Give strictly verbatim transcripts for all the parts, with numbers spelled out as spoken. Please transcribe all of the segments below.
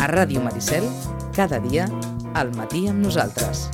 A Ràdio Maricel, cada dia, al matí amb nosaltres.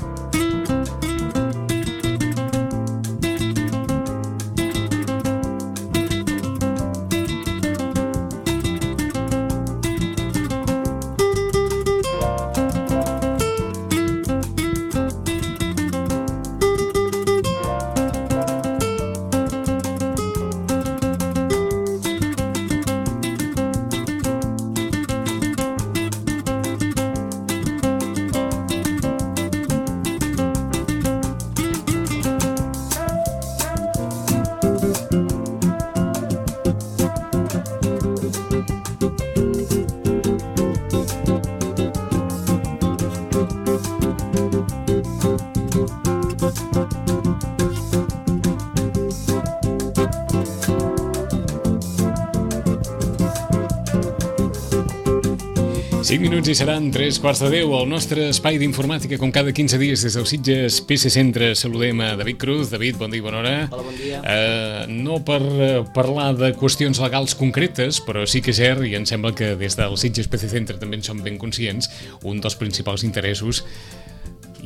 cinc minuts i seran tres quarts de deu. El nostre espai d'informàtica, com cada quinze dies des del Sitges P C Centre, saludem a David Cruz. David, bon dia i bona hora. Hola, bon dia. Uh, no per uh, parlar de qüestions legals concretes, però sí que és cert, i em sembla que des del Sitges P C Centre també en som ben conscients, un dels principals interessos,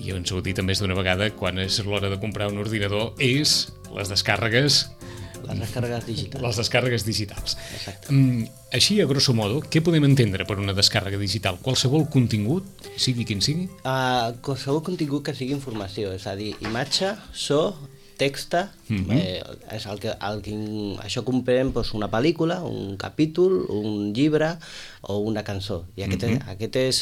i ens ho he dit més d'una vegada, quan és l'hora de comprar un ordinador, és les descàrregues... Les descàrregues digitals. Les descàrregues digitals. Exacte. Mm, així, a grosso modo, què podem entendre per una descàrrega digital? Qualsevol contingut, sigui quin sigui? Uh, qualsevol contingut que sigui informació, és a dir, imatge, so, texta, mm-hmm. eh, és el que, el que, això comprem doncs, una pel·lícula, un capítol, un llibre o una cançó. I aquest, mm-hmm. aquest és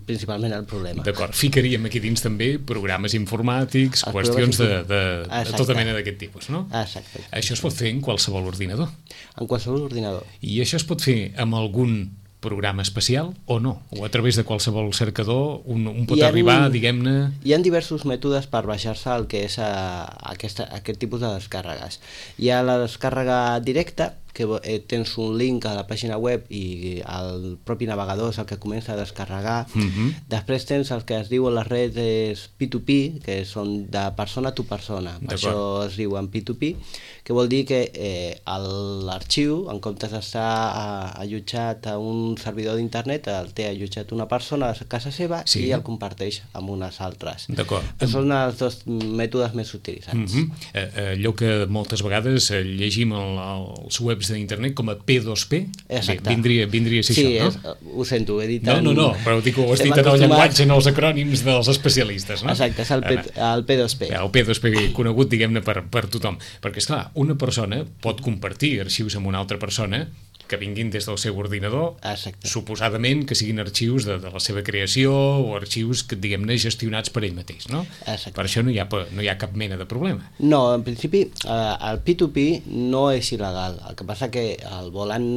principalment el problema. D'acord, ficaríem aquí dins també programes informàtics, els qüestions de, de, de tota mena d'aquest tipus, no? Exacte. Això es pot fer en qualsevol ordinador. En qualsevol ordinador. I això es pot fer amb algun programa especial o no? O a través de qualsevol cercador un, un pot ha, arribar, diguem-ne... Hi ha diversos mètodes per baixar-se el que és a, a aquesta, a aquest tipus de descàrregues. Hi ha la descàrrega directa, que eh, tens un link a la pàgina web i el propi navegador és el que comença a descarregar. Mm-hmm. Després tens el que es diu en les redes P dos P, que són de persona a persona. Això es diu en P dos P, que vol dir que eh, l'arxiu, en comptes d'estar allotjat a un servidor d'internet, el té allotjat una persona a casa seva, sí, i el comparteix amb unes altres. D'acord. Són els dos mètodes més utilitzats. Mm-hmm. eh, allò que moltes vegades eh, llegim el, els webs d'internet com a P dos P. Exacte. Bé, vindria, vindria a ser sí, això, no? Sí, ho sento, ho he dit... No, no, no, però dic, ho has dit en el llenguatge, en els acrònims dels especialistes, no? Exacte, és el, P, el P dos P. El P dos P conegut, diguem-ne, per, per tothom. Perquè, esclar, una persona pot compartir arxius amb una altra persona que vinguin des del seu ordinador, exacte, suposadament que siguin arxius de, de la seva creació o arxius que, diguem-ne, gestionats per ell mateix, no? Exacte. Per això no hi ha, no hi ha cap mena de problema. No, en principi, eh, el P dos P no és il·legal. El que passa que el volen,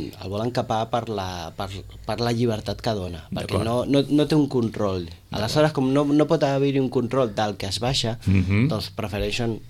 el volen capar per la, per, per la llibertat que dona, perquè no, no, no té un control. Aleshores, com no, no pot haver-hi un control del que es baixa, mm-hmm. doncs prefereixen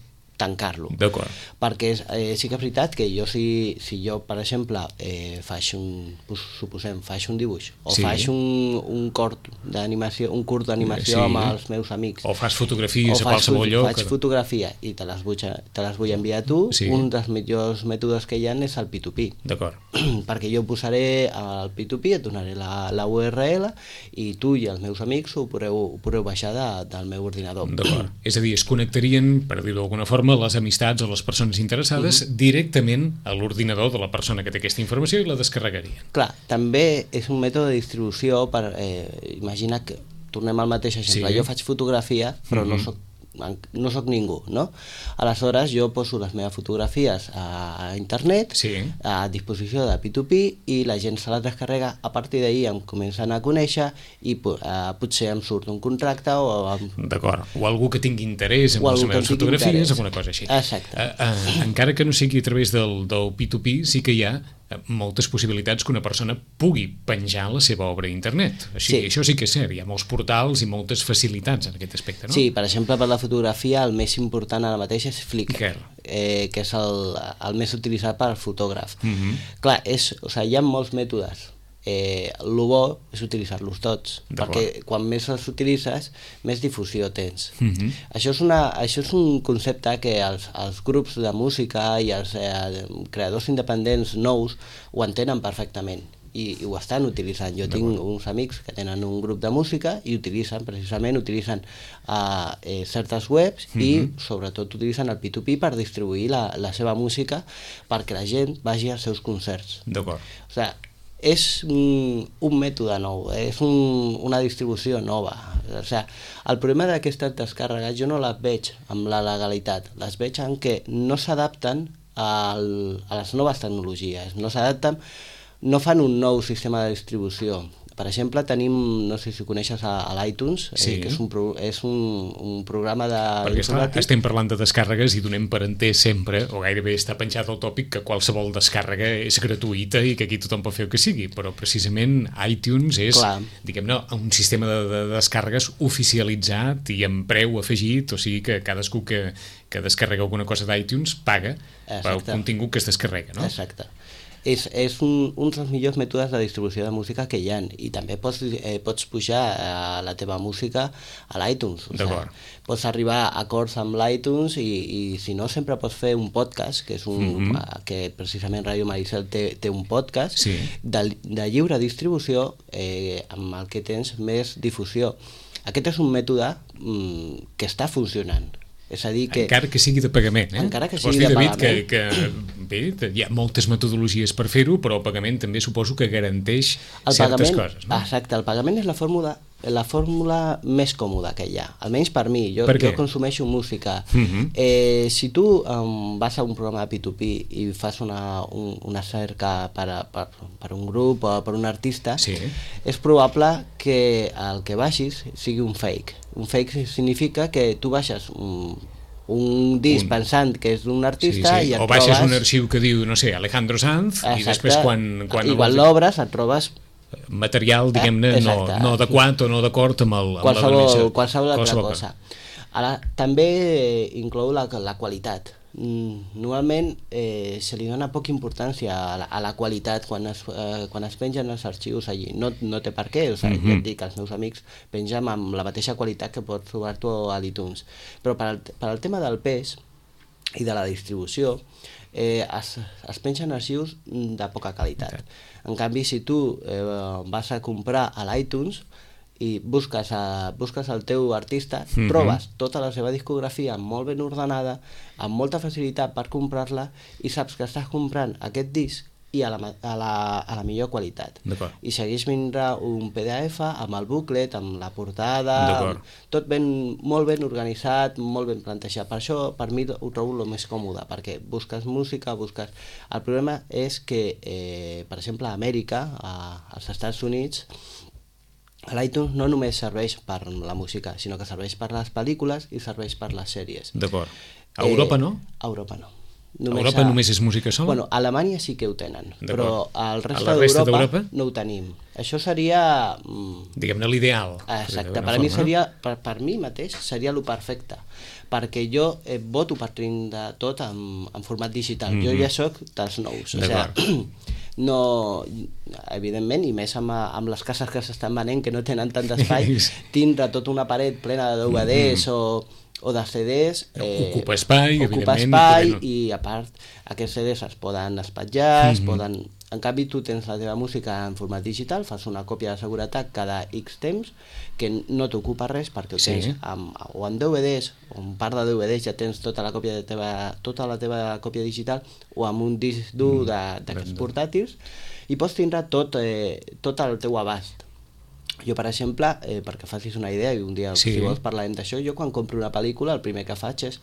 tancar-lo. D'acord. Perquè eh, sí que és veritat que jo, si, si jo, per exemple, eh, faig un, suposem, faig un dibuix, o sí, faig un, un cort d'animació, un curt d'animació, sí, amb els meus amics, o fas fotografies o a qualsevol lloc, faig fotografia i te les vull, te les vull enviar a tu, sí, un dels millors mètodes que hi ha és el P dos P. D'acord. Perquè jo posaré el P dos P, et donaré la, la U R L i tu i els meus amics ho podreu, ho podreu baixar de, del meu ordinador. D'acord. És a dir, es connectarien, per dir-ho d'alguna forma, les amistats o les persones interessades uh-huh. directament a l'ordinador de la persona que té aquesta informació i la descarregarien. Clar, també és un mètode de distribució per, eh, imagina que, tornem al mateix exemple, sí, jo faig fotografia però uh-huh. no soc no soc ningú, no? Aleshores jo poso les meves fotografies a, a internet, sí, a disposició de P dos P i la gent se les descarrega, a partir d'ahir em comencen a conèixer i uh, potser em surt un contracte o... Amb... D'acord, o algú que tingui interès en les meves fotografies, interès. Alguna cosa així. Exacte. Uh, uh, encara que no sigui a través del, del P dos P, sí que hi ha moltes possibilitats que una persona pugui penjar la seva obra a internet. Així, sí. Això sí que és cert, hi ha molts portals i moltes facilitats en aquest aspecte, no? Sí, per exemple, per la fotografia el més important ara mateix és Flickr, eh, que és el, el més utilitzat per al fotògraf. Mm-hmm. Clar, és, o sigui, hi ha molts mètodes. Eh, el bo és utilitzar-los tots, perquè quan més els utilitzes més difusió tens. Mm-hmm. Això, és una, això és un concepte que els, els grups de música i els eh, creadors independents nous ho entenen perfectament. i, i ho estan utilitzant. Jo tinc uns amics que tenen un grup de música i utilitzen, precisament, utilitzen uh, eh, certes webs mm-hmm. i sobretot utilitzen el P dos P per distribuir la, la seva música perquè la gent vagi als seus concerts. D'acord. O sigui, és un, un mètode nou, és un, una distribució nova. O sigui, el problema d'aquestes descàrregues jo no les veig amb la legalitat, les veig en què no s'adapten al, a les noves tecnologies, no s'adapten, no fan un nou sistema de distribució. Per exemple, tenim, no sé si coneixes a, a l'iTunes, sí. eh, que és, un, pro, és un, un programa de... Perquè esclar, estem parlant de descàrregues i donem per entès sempre, o gairebé està penjat el tòpic, que qualsevol descàrrega és gratuïta i que aquí tothom pot fer el que sigui, però precisament iTunes és, diguem-ne, un sistema de, de descàrregues oficialitzat i amb preu afegit, o sigui que cadascú que, que descarrega alguna cosa d'iTunes paga pel contingut que es descarrega, no? Exacte. És, és un, un dels millors mètodes de distribució de música que hi ha, i també pots, eh, pots pujar eh, la teva música a l'iTunes. O sigui, pots arribar a acords amb l'iTunes i, i si no sempre pots fer un podcast, que és un mm-hmm. que precisament Ràdio Maricel té, té un podcast sí. de, de lliure distribució eh, amb el que tens més difusió. Aquest és un mètode mm, que està funcionant. És a dir que... Encara que sigui de pagament, eh? Encara que sigui dir, de David, pagament. Que, que, bé, hi ha moltes metodologies per fer-ho, però el pagament també suposo que garanteix el certes pagament, coses, no? Exacte, el pagament és la fórmula, la fórmula més còmoda que hi ha, almenys per mi. Jo, per jo consumeixo música. Uh-huh. eh, si tu um, vas a un programa de P dos P i fas una, un, una cerca per, a, per, per un grup o per un artista, sí. és probable que el que baixis sigui un fake. Un fake significa que tu baixes un, un disc un... pensant que és d'un artista sí, sí. i et o baixes trobes... un arxiu que diu, no sé, Alejandro Sanz. Exacte. I després quan... quan I quan l'obres et trobes material, diguem-ne, eh? no, no adequat o no d'acord amb, el, amb qualsevol, la denominació. Qualsevol altra cosa. Ara, també inclou la, la qualitat. Normalment eh, se li dona poca importància a la, a la qualitat quan es, eh, quan es pengen els arxius allí. No, no té per què, o sigui, mm-hmm. ja et dic, els meus amics pengen amb la mateixa qualitat que pots trobar tu a l'iTunes. Però per al, per al tema del pes i de la distribució, eh, es, es pengen arxius de poca qualitat. En canvi, si tu eh, vas a comprar a l'iTunes i busques, a, busques el teu artista, mm-hmm. trobes tota la seva discografia molt ben ordenada, amb molta facilitat per comprar-la, i saps que estàs comprant aquest disc i a la, a la, a la millor qualitat. I segueix vindrà un P D F amb el booklet, amb la portada, amb, tot ben, molt ben organitzat, molt ben plantejat. Per això, per mi, ho trobo el més còmode, perquè busques música, busques... El problema és que, eh, per exemple, a Amèrica, a, als Estats Units, l'iTunes no només serveix per la música, sinó que serveix per les pel·lícules i serveix per les sèries. D'acord. A Europa no? A Europa no. Només a Europa a... només és música sola? Bueno, a Alemanya sí que ho tenen, però al resta d'Europa no ho tenim. Això seria... Diguem-ne l'ideal. Exacte, per a mi seria, per, per mi mateix seria lo perfecte, perquè jo eh, voto per tindre tot en, en format digital. Mm-hmm. Jo ja soc dels nous. O sigui, no, evidentment, i més amb, amb les cases que s'estan venent que no tenen tant d'espai, tindre tota una paret plena de D V Ds mm-hmm. o o de C Ds eh, ocupa espai, ocupa espai no... i a part aquests C Ds es poden espatllar, mm-hmm. es poden... En canvi tu tens la teva música en format digital, fas una còpia de seguretat cada X temps que no t'ocupa res perquè ho tens sí. amb, o en D V Ds o en part de D V Ds ja tens tota la còpia de teva, tota la teva còpia digital o amb un disc dur mm, d'aquests portàtils i pots tindre tot, eh, tot el teu abast. Jo, per exemple, eh, perquè facis una idea, i un dia, sí. si vols, parlarem d'això, jo quan compro una pel·lícula, el primer que faig és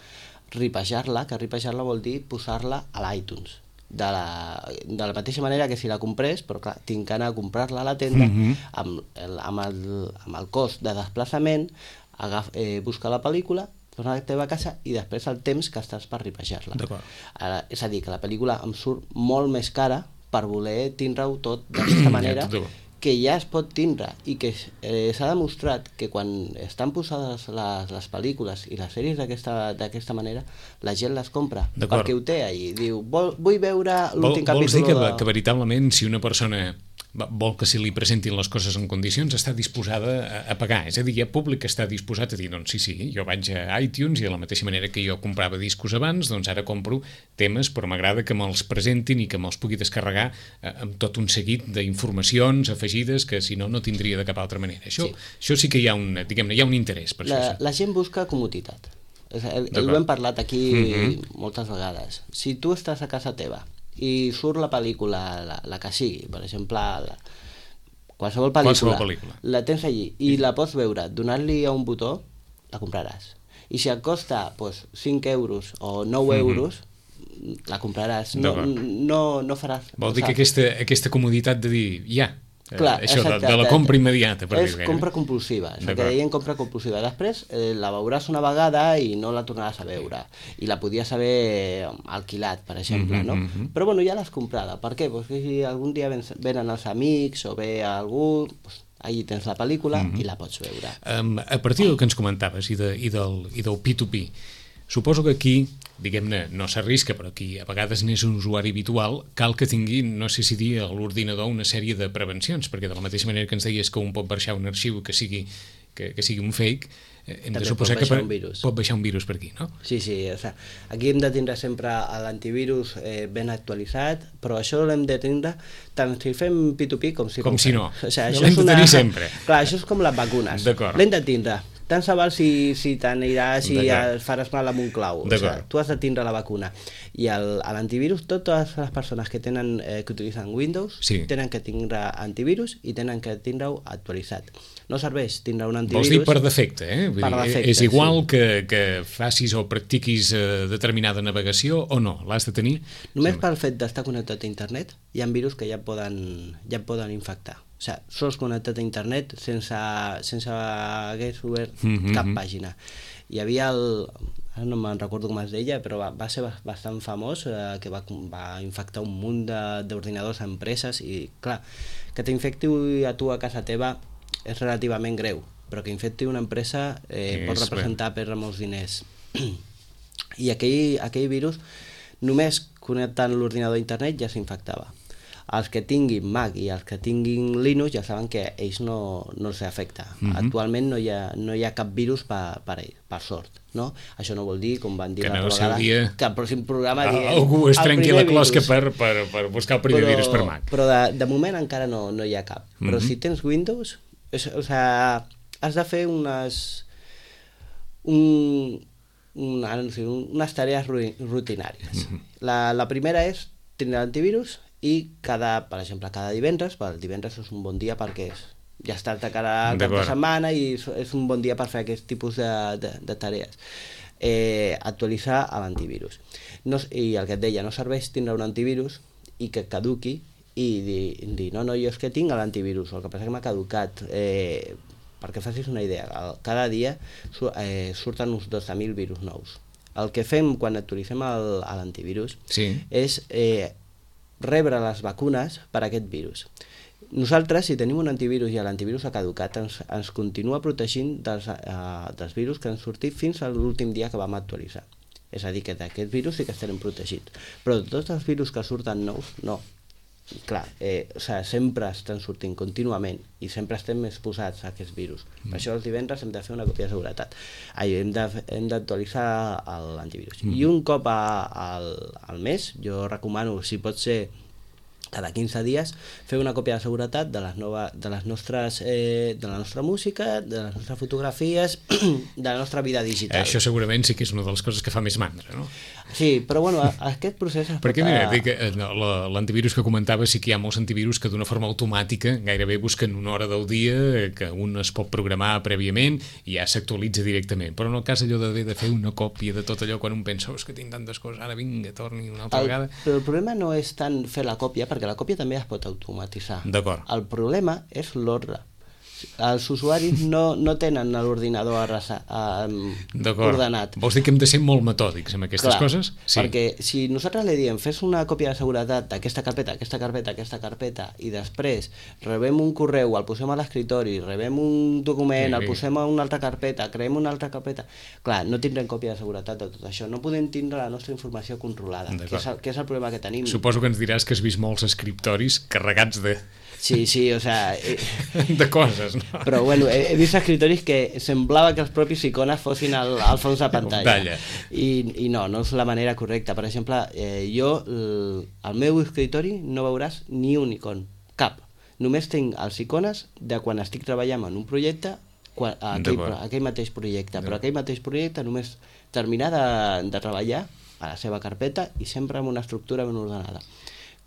ripejar-la, que ripejar-la vol dir posar-la a l'iTunes. De la, de la mateixa manera que si la comprés, però clar, tinc que anar a comprar-la a la tenda, mm-hmm. amb, el, amb, el, amb el cost de desplaçament, agaf, eh, buscar la pel·lícula, tornar a la teva casa i després el temps que estàs per ripejar-la. Ara, és a dir, que la pel·lícula em surt molt més cara per voler tindre-ho tot d'aquesta manera, que ja es pot tindre i que eh, s'ha demostrat que quan estan posades les, les pel·lícules i les sèries d'aquesta manera la gent les compra, perquè ho té ahí, diu, vol, vull veure l'últim capítol. Vols dir que, de... que veritablement si una persona vol que si li presentin les coses en condicions està disposada a, a pagar, és a dir, hi ha públic que està disposat a dir, doncs sí, sí, jo vaig a iTunes i de la mateixa manera que jo comprava discos abans, doncs ara compro temes, però m'agrada que me'ls presentin i que me'ls pugui descarregar eh, amb tot un seguit d'informacions afegides que si no, no tindria de cap altra manera. Això sí, això sí que hi ha un, diguem-ne, hi ha un interès per la, això. La gent busca comoditat. Ho hem parlat aquí mm-hmm. moltes vegades. Si tu estàs a casa teva i surt la pel·lícula, la, la que sigui, per exemple, la, qualsevol pel·lícula, qualsevol pel·lícula, la tens allí i la pots veure, donant-li a un botó, la compraràs. I si et costa pues, cinc euros o nou mm-hmm. euros, la compraràs. No, no, no faràs... Vol dir que aquesta, aquesta comoditat de dir, ja, clar, això de, de la compra immediata, per és compra compulsiva, és el que deien compra compulsiva. Després eh, la veuràs una vegada i no la tornaràs a veure i la podies haver alquilat, per exemple, mm-hmm, no? Mm-hmm. Però bueno, ja l'has comprada. Per què? Perquè si algun dia ven, venen els amics o ve algú, pues, allí tens la pel·lícula mm-hmm. i la pots veure. Um, a partir del que ens comentaves i, de, i, del, i del P dos P, suposo que aquí, diguem-ne, no s'arrisca, però aquí a vegades n'és un usuari habitual, cal que tingui, no sé si dir, a l'ordinador una sèrie de prevencions, perquè de la mateixa manera que ens deies que un pot baixar un arxiu que sigui, que, que sigui un fake, hem també de suposar que per, pot baixar un virus per aquí, no? Sí, sí, o sea, aquí hem de tindre sempre l'antivirus eh, ben actualitzat, però això l'hem de tindre tant si fem P dos P com si... Com si no, o sea, l'hem de tenir sempre. Clar, això és com les vacunes, l'hem de tindre. Tant se val si, si t'aniràs i et faràs mal amb un clau. O sigui, tu has de tindre la vacuna. I l'antivirus, totes les persones que tenen eh, que utilitzen Windows sí. tenen que tindre antivirus i tenen que tindre-ho actualitzat. No serveix tindre un antivirus... Vols dir per defecte, eh? Vull per dir, defecte, és igual sí. que, que facis o practiquis eh, determinada navegació o no? L'has de tenir? Només sí. pel fet d'estar connectat a internet hi ha virus que ja poden, ja poden infectar. O sigui, sols connectat a internet sense, sense haver obert mm-hmm. cap pàgina. Hi havia el... ara no me'n recordo com es deia, però va, va ser bastant famós, eh, que va, va infectar un munt d'ordinadors a empreses i, clar, que t'infecti a tu a casa teva és relativament greu, però que infecti una empresa eh, pot representar perdre molts diners. I aquell, aquell virus, només connectant l'ordinador a internet ja s'infectava. Els que tinguin Mac i els que tinguin Linux ja saben que ells no, no els afecta. Mm-hmm. Actualment no hi ha, no hi ha cap virus per, per ells, per sort. No? Això no vol dir, com van dir l'altra vegada, dia... que al pròxim programa diem, algú es trenqui la closca per, per, per buscar el primer però, virus per Mac. Però de, de moment encara no, no hi ha cap. Mm-hmm. Però si tens Windows, és, o sigui, has de fer unes... Un, un, no sé, unes tarees rutinàries. Mm-hmm. La, la primera és tindre l'antivirus i cada, per exemple, cada divendres, el divendres és un bon dia perquè és, ja estàs de cara al cap de setmana i és un bon dia per fer aquest tipus de, de, de tarees. Eh, actualitzar l'antivirus. No, I el que et deia, no serveix tindre un antivirus i que caduqui i dir, dir no, no, jo és que tinc l'antivirus, el que passa que m'ha caducat. Eh, perquè facis una idea, cada dia eh, surten uns dotze mil virus nous. El que fem quan actualitzem l'antivirus sí. és eh, rebre les vacunes per a aquest virus. Nosaltres, si tenim un antivirus i l'antivirus ha caducat, ens, ens continua protegint dels, uh, dels virus que han sortit fins a l'últim dia que vam actualitzar. És a dir, que d'aquest virus sí que estarem protegits. Però tots els virus que surten nous, no. Clar, eh, o sigui, sempre estan sortint contínuament i sempre estem exposats a aquests virus. Mm. Per això els divendres hem de fer una còpia de seguretat. Ai, hem d'actualitzar l'antivirus. Mm. I un cop a, al, al mes, jo recomano, si pot ser cada quinze dies, fer una còpia de seguretat de les, nova, de les nostres eh, de la nostra música, de les nostres fotografies, de la nostra vida digital. Això segurament sí que és una de les coses que fa més mandra, no? Sí, però bueno, aquest procés... Perquè mira, dic, l'antivirus que comentava, sí que hi ha molts antivirus que d'una forma automàtica gairebé busquen una hora del dia que un es pot programar prèviament i ja s'actualitza directament, però en el cas allò d'haver de fer una còpia de tot allò quan un pensa, oh, és que tinc tantes coses, ara vinga, torni una altra el, vegada... Però el problema no és tant fer la còpia, perquè la còpia també es pot automatitzar. D'acord. El problema és l'ordre. Els usuaris no, no tenen l'ordinador eh, ordenat. Vols dir que hem de ser molt metòdics amb aquestes Clar, coses? Sí. Perquè si nosaltres li diem fes una còpia de seguretat d'aquesta carpeta, aquesta carpeta, aquesta carpeta i després rebem un correu, el posem a l'escriptori, rebem un document, sí, el posem a una altra carpeta, creem una altra carpeta... Clar, no tindrem còpia de seguretat de tot això. No podem tindre la nostra informació controlada, que és, el, que és el problema que tenim. Suposo que ens diràs que has vist molts escriptoris carregats de Sí, sí, o sea... Eh, de coses, no? Però bueno, he, he vist escritoris que semblava que els propis icones fossin al, al fons de pantalla. pantalla. I, I no, no és la manera correcta. Per exemple, eh, jo, el, al meu escritori no veuràs ni un icon, cap. Només tinc els icones de quan estic treballant en un projecte, quan, aquell, aquell mateix projecte, però aquell mateix projecte només terminar de, de treballar a la seva carpeta i sempre amb una estructura ben ordenada.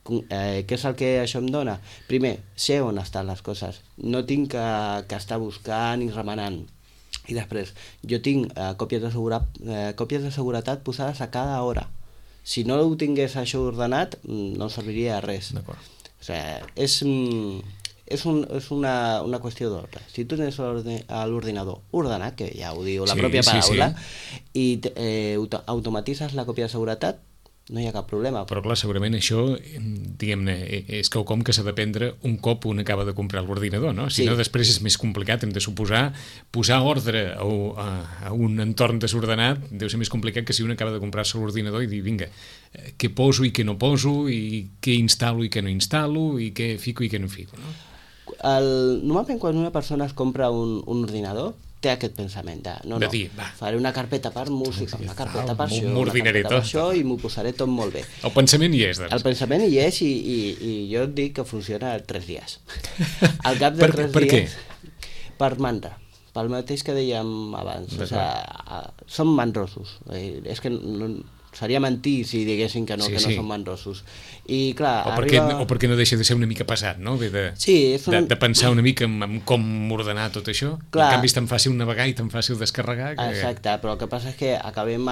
Eh, què és el que això em dona? Primer, sé on estan les coses, no tinc que, que estar buscant i remenant. I després, jo tinc eh, còpies, de segura, eh, còpies de seguretat posades a cada hora. Si no ho tingués això ordenat, no serviria de res. D'acord. O sigui, és, és, un, és una, una qüestió d'ordre. Si tu tens l'ordinador ordenat, que ja ho diu la sí, pròpia paraula, sí, sí. i eh, automatitzes la còpia de seguretat, no hi ha cap problema. Però clar, segurament això, diguem-ne, és quelcom que s'ha de prendre un cop un acaba de comprar l'ordinador, no? Si sí. no, després és més complicat, hem de suposar, posar ordre a, a, a un entorn desordenat deu ser més complicat que si un acaba de comprar-se l'ordinador i dir, vinga, què poso i què no poso, i què instal·lo i què no instal·lo, i què fico i què no fico, no? El, normalment quan una persona es compra un, un ordinador, té aquest pensament de, no, de no, dir, va. faré una carpeta per música, una carpeta per això, una carpeta per això, i m'ho posaré tot molt bé. El pensament hi és, doncs. El pensament hi és i, i, i jo et dic que funciona tres dies. Al cap de per, tres per dies... Què? Per mandra. Pel mateix que dèiem abans. O sigui, són mandrosos. És que no, seria mentir si diguessin que no, sí, que no sí. són mandrosos. I clar, o, perquè, arriba... o perquè no deixa de ser una mica pesat, no? De, de, sí, una... de, de pensar una mica en, en com ordenar tot això. Clar. En canvi és tan fàcil navegar i tan fàcil descarregar. Que... Exacte, però el que passa és que acabem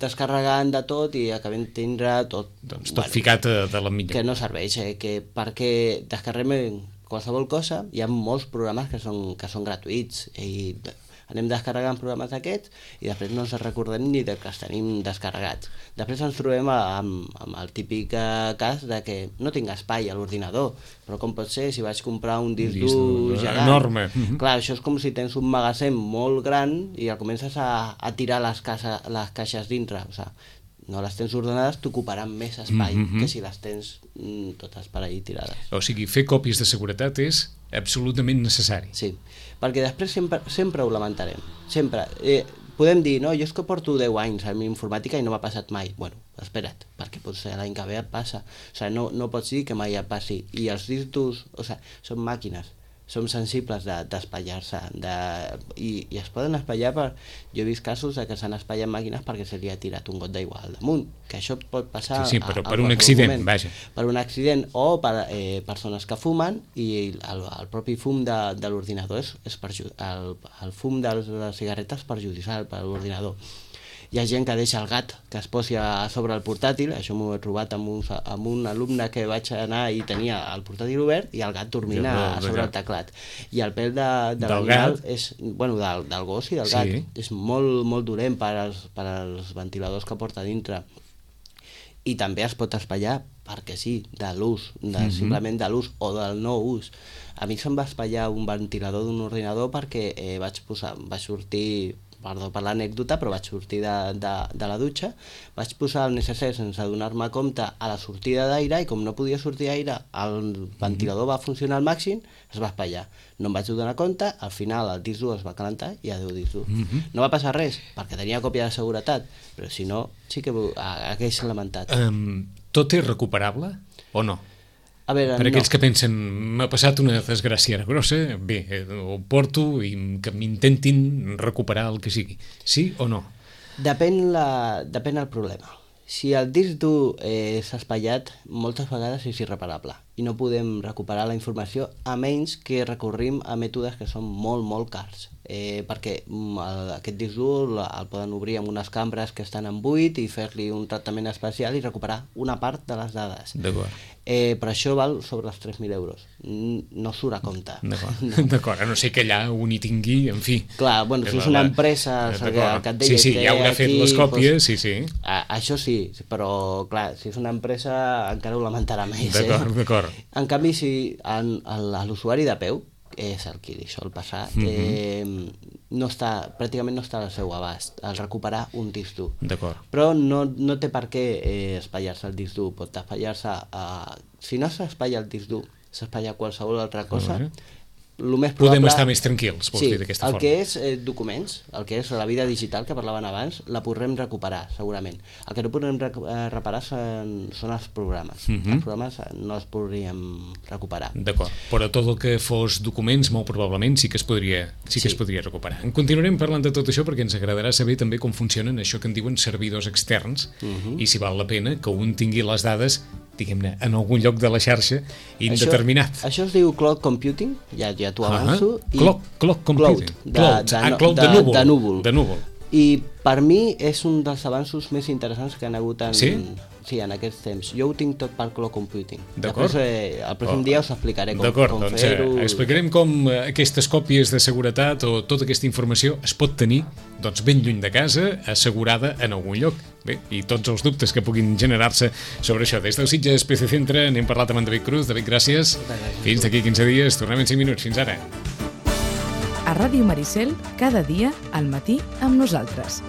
descarregant de tot i acabem tindre tot... Doncs tot bueno, ficat de, de la mitja. Que no serveix, eh? Que perquè descarreguem qualsevol cosa, hi ha molts programes que són, que són gratuïts i anem descarregant programes d'aquests i després no ens recordem ni de que els tenim descarregats. Després ens trobem amb, amb el típic cas de que no tinc espai a l'ordinador, però com pot ser si vaig comprar un disc dur gegant? Enorme. Clar, això és com si tens un magatzem molt gran i el comences a, a tirar les, casa, les caixes dintre. O sigui, no les tens ordenades, t'ocuparan més espai mm-hmm. que si les tens mm, totes per ahí tirades. O sigui, fer còpies de seguretat és absolutament necessari. Sí, perquè després sempre, sempre ho lamentarem. Sempre. Eh, podem dir, no, jo és que porto deu anys en informàtica i no m'ha passat mai. Bueno, espera't, perquè potser l'any que ve et passa. O sigui, no, no pots dir que mai et passi. I els discs durs, o sigui, són màquines. Som sensibles d'espatllar-se de, i, i es poden espatllar per... Jo he vist casos de que s'han espatllat màquines perquè se li ha tirat un got d'aigua al damunt, que això pot passar sí, sí, però a, a per un accident, moment. Vaja. Per un accident o per eh, persones que fumen i el, el propi fum de, de l'ordinador és, és el, el fum de les cigarretes és perjudicial per a l'ordinador. Hi ha gent que deixa el gat que es posi a sobre el portàtil, això m'ho he trobat amb un, amb un alumne que vaig anar i tenia el portàtil obert i el gat dormint a sobre el teclat. I el pèl de, de l'animal és, bueno, del, del gos i del gat, sí. És molt, molt dolent per als, per als ventiladors que porta dintre. I també es pot espatllar, perquè sí, de l'ús, de, mm-hmm. simplement de l'ús o del no ús. A mi se'm va espatllar un ventilador d'un ordinador perquè eh, vaig posar, vaig sortir... perdó per l'anècdota, però vaig sortir de, de, de la dutxa, vaig posar el necessari sense donar-me compte a la sortida d'aire i com no podia sortir aire, el ventilador va funcionar al màxim, es va espatllar. No em vaig donar compte, al final el disc dur es va calentar i adéu disc dur. Mm-hmm. No va passar res, perquè tenia còpia de seguretat, però si no, sí que hagués lamentat. Um, tot és recuperable o no? A veure, per aquells no. que pensen, m'ha passat una desgràcia grossa, bé, ho porto i que m'intentin recuperar el que sigui. Sí o no? Depèn, la, depèn el problema. Si el disc dur eh, s'ha espatllat, moltes vegades és irreparable i no podem recuperar la informació a menys que recorrim a mètodes que són molt, molt cars. Eh, perquè el, aquest disc dur el, el poden obrir amb unes cambres que estan en buit i fer-li un tractament especial i recuperar una part de les dades. D'acord. Eh, però això val sobre els tres mil euros. No surt a compte. D'acord, no. D'acord, a no ser que allà un hi tingui, en fi. Clar, bueno, si és una empresa que, que et deia... Sí, sí, ja haurà fet les còpies, doncs, sí, sí. A, això sí, però clar, si és una empresa encara ho lamentarà més. D'acord, eh? d'acord. En canvi, si l'usuari de peu, és el que li sol passar, mm-hmm. eh, no està, pràcticament no està al seu abast al recuperar un disc dur. D'acord. Però no, no té per què eh, espatllar-se el disc dur, pot espatllar-se a... Si no s'espatlla el disc dur, s'espatlla qualsevol altra cosa, Uh-huh. el més probable... Podem estar més tranquils, vols sí, dir d'aquesta el forma. que és eh, documents, el que és la vida digital que parlaven abans, la podrem recuperar, segurament. El que no podrem recu- eh, reparar són, són els programes. Mhm. Els programes eh, no els podríem recuperar. D'acord, però tot el que fos documents, molt probablement sí que es podria, sí que Sí. es podria recuperar. En continuarem parlant de tot això perquè ens agradarà saber també com funcionen això que en diuen servidors externs Mhm. i si val la pena que un tingui les dades, diguem-ne, en algun lloc de la xarxa indeterminat. Això, això es diu cloud computing, ja, ja t'ho avanço. Ah, cloud, cloud computing. Cloud, de, Cloud, de, ah, cloud de, de, núvol. de núvol. De núvol. I per mi és un dels avanços més interessants que han hagut en, Sí? sí, en aquests temps. Jo ho tinc tot per cloud computing. D'acord. Després, eh, el pròxim Oh. dia us explicaré com, D'acord, com doncs fer-ho. eh, explicarem com eh, aquestes còpies de seguretat o tota aquesta informació es pot tenir doncs, ben lluny de casa, assegurada en algun lloc. Bé, i tots els dubtes que puguin generar-se sobre això. Des del Sitges P C Centre n'hem parlat amb en David Cruz. David, gràcies. gràcies. Fins d'aquí quinze dies. Tornem en cinc minuts. Fins ara. A Ràdio Maricel, cada dia al matí amb nosaltres.